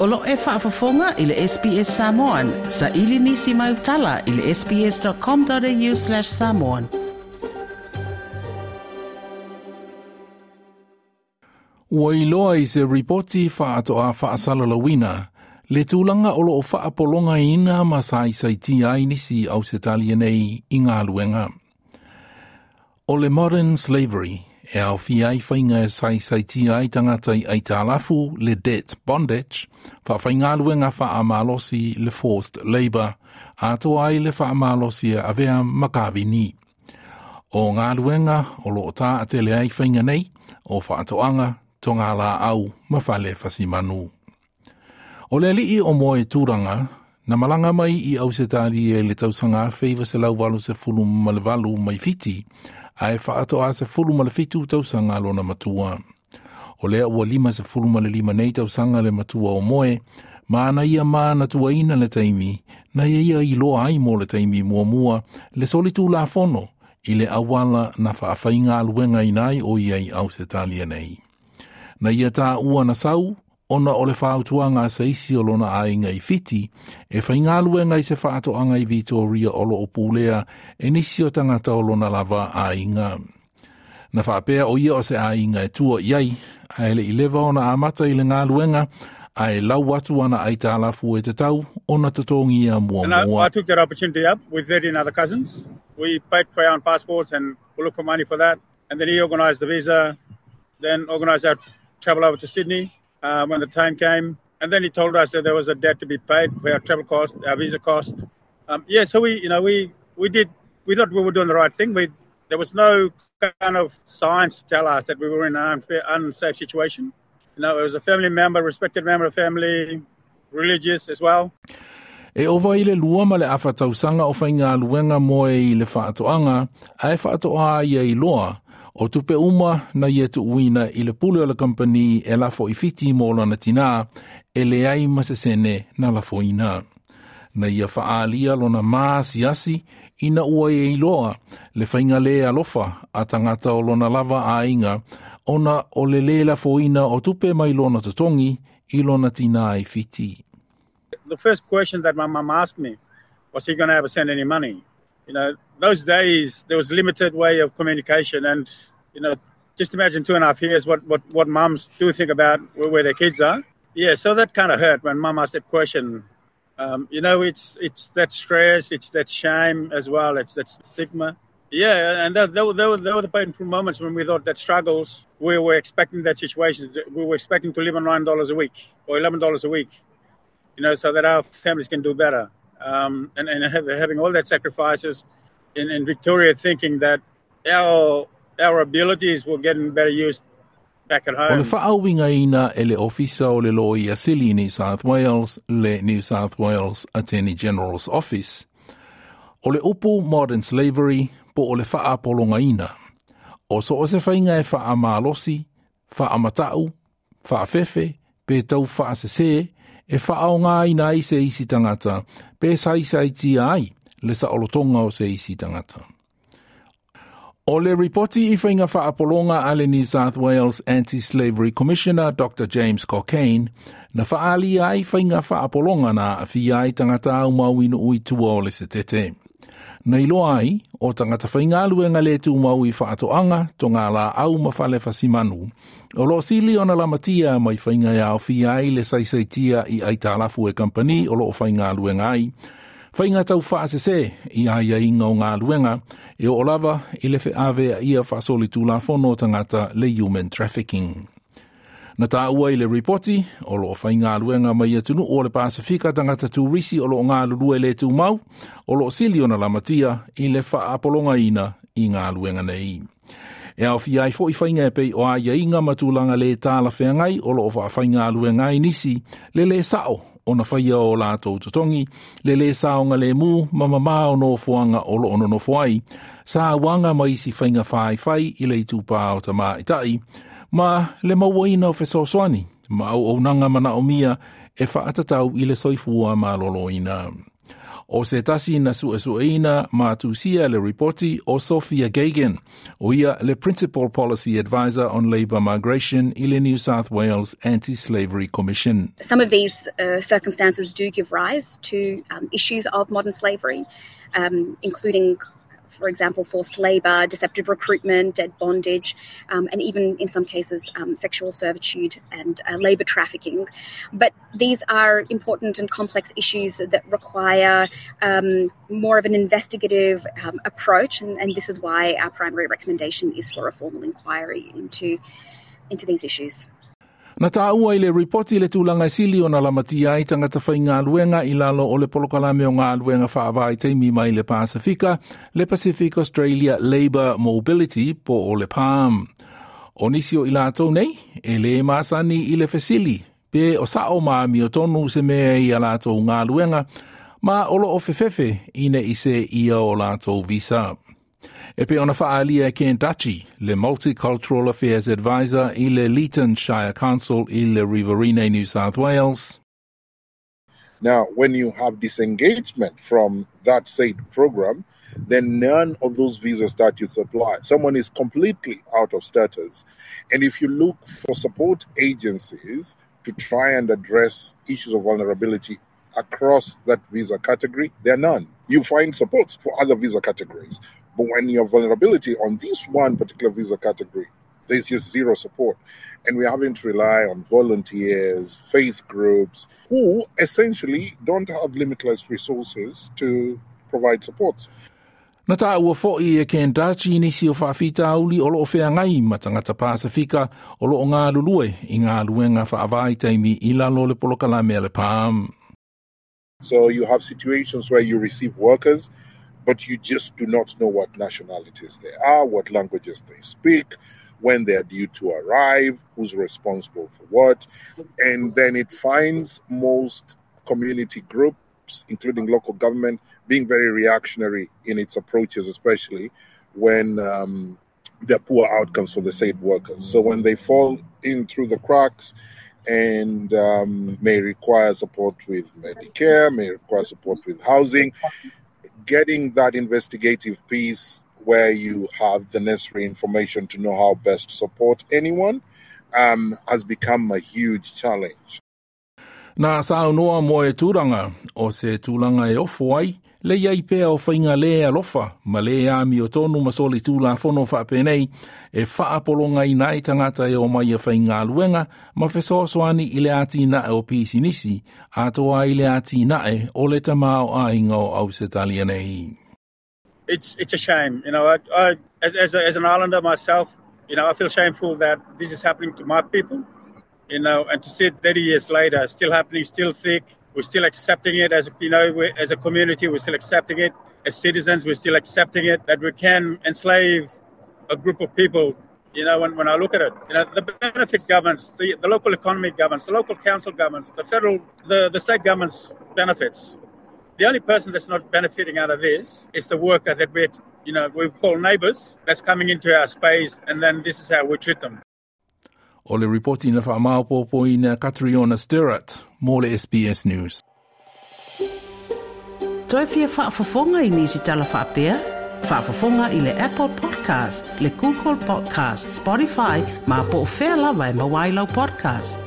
O lo e faafofoga i le SBS Samoan. Sa ili nisi mai utala i le sbs.com.au/samoan. Ua iloa i se ripoti faatoa faasalalauina le tulaga o loo faapologaina ma saisaitia ai nisi Ausetalia nei i galuega. O le modern slavery e aofia ai faiga e saisaitia ai tagata i aitalafu le debt bondage, faafaigaluega faamalosi le forced labour, atoa ai le faamalosi e avea ma kavini. O galuega o loo taatele ai faiga nei, o faatoaga, togalaau ma fale fasimanu. O le alii o Moe Turaga, na malaga mai i Ausetalia i le tausaga 1988 mai Fiti, ae faatoa 17 tausaga lona matua. O lea ua 55 nei tausaga le matua o Moe, ma na ia manatuaina le taimi, na ia ia iloa ai mo le taimi muamua le solitulafono i le auala na faafaigaluegaina ai o ia i Ausetalia nei. Na ia taua na sau, ona o le fautuaga a se isi o lona aiga i Fiti, e faigaluega i se faatoaga i Victoria o loo pulea e nisi o tagata o lona lava aiga. Na faapea o ia o se aiga e tua i ai, ae le i leva ona amata i le galuega, ae lau atu ana aitalafu e tatau ona totogia muamua. And I took that opportunity up with 13 other cousins. We paid for our own passports and we looked for money for that. And then he organised the visa, then organised our travel over to Sydney when the time came. And then he told us that there was a debt to be paid for our travel cost, our visa cost. So we, you know, we did, we thought we were doing the right thing. There was no kind of science to tell us that we were in an unsafe situation. You know, it was a family member, respected member of family, religious as well. E ova i le 2 ma le afa tausaga o faigaluega Moe i le faatoaga, ae faatoa ia iloa, o tupe uma na ia tuuina i le pule o le kampani e lafo i Fiti mo lona tinā, e leai ma se sene na lafoina. Na ia faalia lona maasiasi ina ua ia iloa le faiga le alofa a tagata o lona lava aiga, ona o le le lafoina o tupe mai lona totogi i lona tinā i Fiti. The first question that my mum asked me was, he going to ever send any money? You know, those days there was limited way of communication, and, you know, just imagine 2.5 years what mums do think about where their kids are. Yeah, so that kind of hurt when mum asked that question. You know, it's that stress, it's that shame as well, it's that stigma. Yeah, and there were the painful moments when we thought that struggles, we were expecting that situation, we were expecting to live on $9 a week or $11 a week, you know, so that our families can do better. And having all that sacrifices in Victoria, thinking that our abilities were getting better used back at home. O le faauigaina e le ofisa o le Loia Sili New South Wales, le New South Wales Attorney General's Office. O le upu modern slavery po o le faapologaina. O so o se faiga e faamalosi, faamatau, faafefe, pe tau faasese, e faaogaina ai se isi tagata, pe saisaitia ai le saolotoga o se isi tagata. O le ripoti i faiga faapologa a le New South Wales Anti-Slavery Commissioner Dr. James Cockayne, na faalia ai faiga faapologa na aafia ai tagata aumau i nuu i tua o le setete. Na iloa ai, o tagata faigaluega le tumau i faatoaga, togalaau ma fale fasimanu, o loo sili ona lamatia mai faiga e aofia ai le saisaitia i aitalafu e kampani o loo faigaluega ai, faiga tau faasese i aiaiga o galuega, e oo lava i le feavea ia faasolitulafono o tagata le human trafficking. Na taua i le ripoti, o loo faigaluega mai atunuu o le Pasifika tagata turisi o loo galulue le tumau, o loo sili ona lamatia i le faapologaina i galuega nei. E aofia ai foi faiga e pei o aiaiga ma tulaga le talafeagai o loo faafaigaluega ai nisi, le le sao ona faia o latou totogi, le le saoga lemu ma mamā o nofoaga o loo nonofo ai, sa uaga ma isi faiga faifai i le itupā o tamaitai, ma le mauaina o fesoasoani, ma auaunaga manaomia e faatatau i le soifua maloloina. O se tasi na suesueina ma tusia le ripoti o Sophia Gagan, o ia le Principal Policy Advisor on Labour Migration i le New South Wales Anti-Slavery Commission. Some of these circumstances do give rise to issues of modern slavery, including, for example, forced labour, deceptive recruitment, debt bondage, and even in some cases sexual servitude and labour trafficking. But these are important and complex issues that require more of an investigative approach, and this is why our primary recommendation is for a formal inquiry into these issues. Na tāua i le ripoti le tulaga sili o na lamatia ai tagata faigaluega i lalo o le polokalame o galuega faavaitaimi mai le Pasifika, le Pacific Australia Labour Mobility po o le PALM. O nisi o i latou nei, e le masani i le fesili, pe o sao ma amiotonu se mea i a latou galuega, ma o loo fefefe ina i se ia o latou visa. E pei ona faaalia e Ken Dutchy, le Multicultural Affairs Advisor i le Leeton Shire Council i le Riverina, New South Wales. Now, when you have disengagement from that said program, then none of those visa statutes apply. Someone is completely out of status. And if you look for support agencies to try and address issues of vulnerability across that visa category, there are none. You find supports for other visa categories. But when you have vulnerability on this one particular visa category, there's just zero support. And we're having to rely on volunteers, faith groups, who essentially don't have limitless resources to provide support. Na tāua fo'i e Ken Dutchy nisi o faafitauli o loo feagai ma tagata Pasifika o loo galulue i galuega faavaitaimi i lalo le polokalame a le PALM. So you have situations where you receive workers, but you just do not know what nationalities they are, what languages they speak, when they are due to arrive, who's responsible for what. And then it finds most community groups, including local government, being very reactionary in its approaches, especially when there are poor outcomes for the said workers. So when they fall in through the cracks and may require support with Medicare, may require support with housing, getting that investigative piece where you have the necessary information to know how best to support anyone has become a huge challenge. Na saunoa mo e tūranga, o se tūranga e ofo ai, le iai pea o whainga le alofa, ma le amiotonu ma soli tūlafono whaapenei, e whaapolonga i nai tangata e o mai e whaingaluenga, ma fesoasoani i le atinae o pisinisi, a toa i le atinae o le tamao a inga o Ausetalia nei. It's a shame, you know. I as an islander myself, you know, I feel shameful that this is happening to my people, you know, and to see it 30 years later, still happening, still thick. We're still accepting it as, you know, as a community, we're still accepting it. As citizens, we're still accepting it, that we can enslave a group of people. You know, when I look at it, you know, the benefit governments, the local economy governments, the local council governments, the federal, the state governments benefits. The only person that's not benefiting out of this is the worker that we, you know, we call neighbours, that's coming into our space, and then this is how we treat them. O le ripoti na whaamaopopo ina Catriona Stirrat, mō le SBS News. Toe fia faafofoga i nisi tala faapea? Faafofoga i le Apple Podcast, le Google Podcast, Spotify, ma po o fea lava e maua ai lau podcast.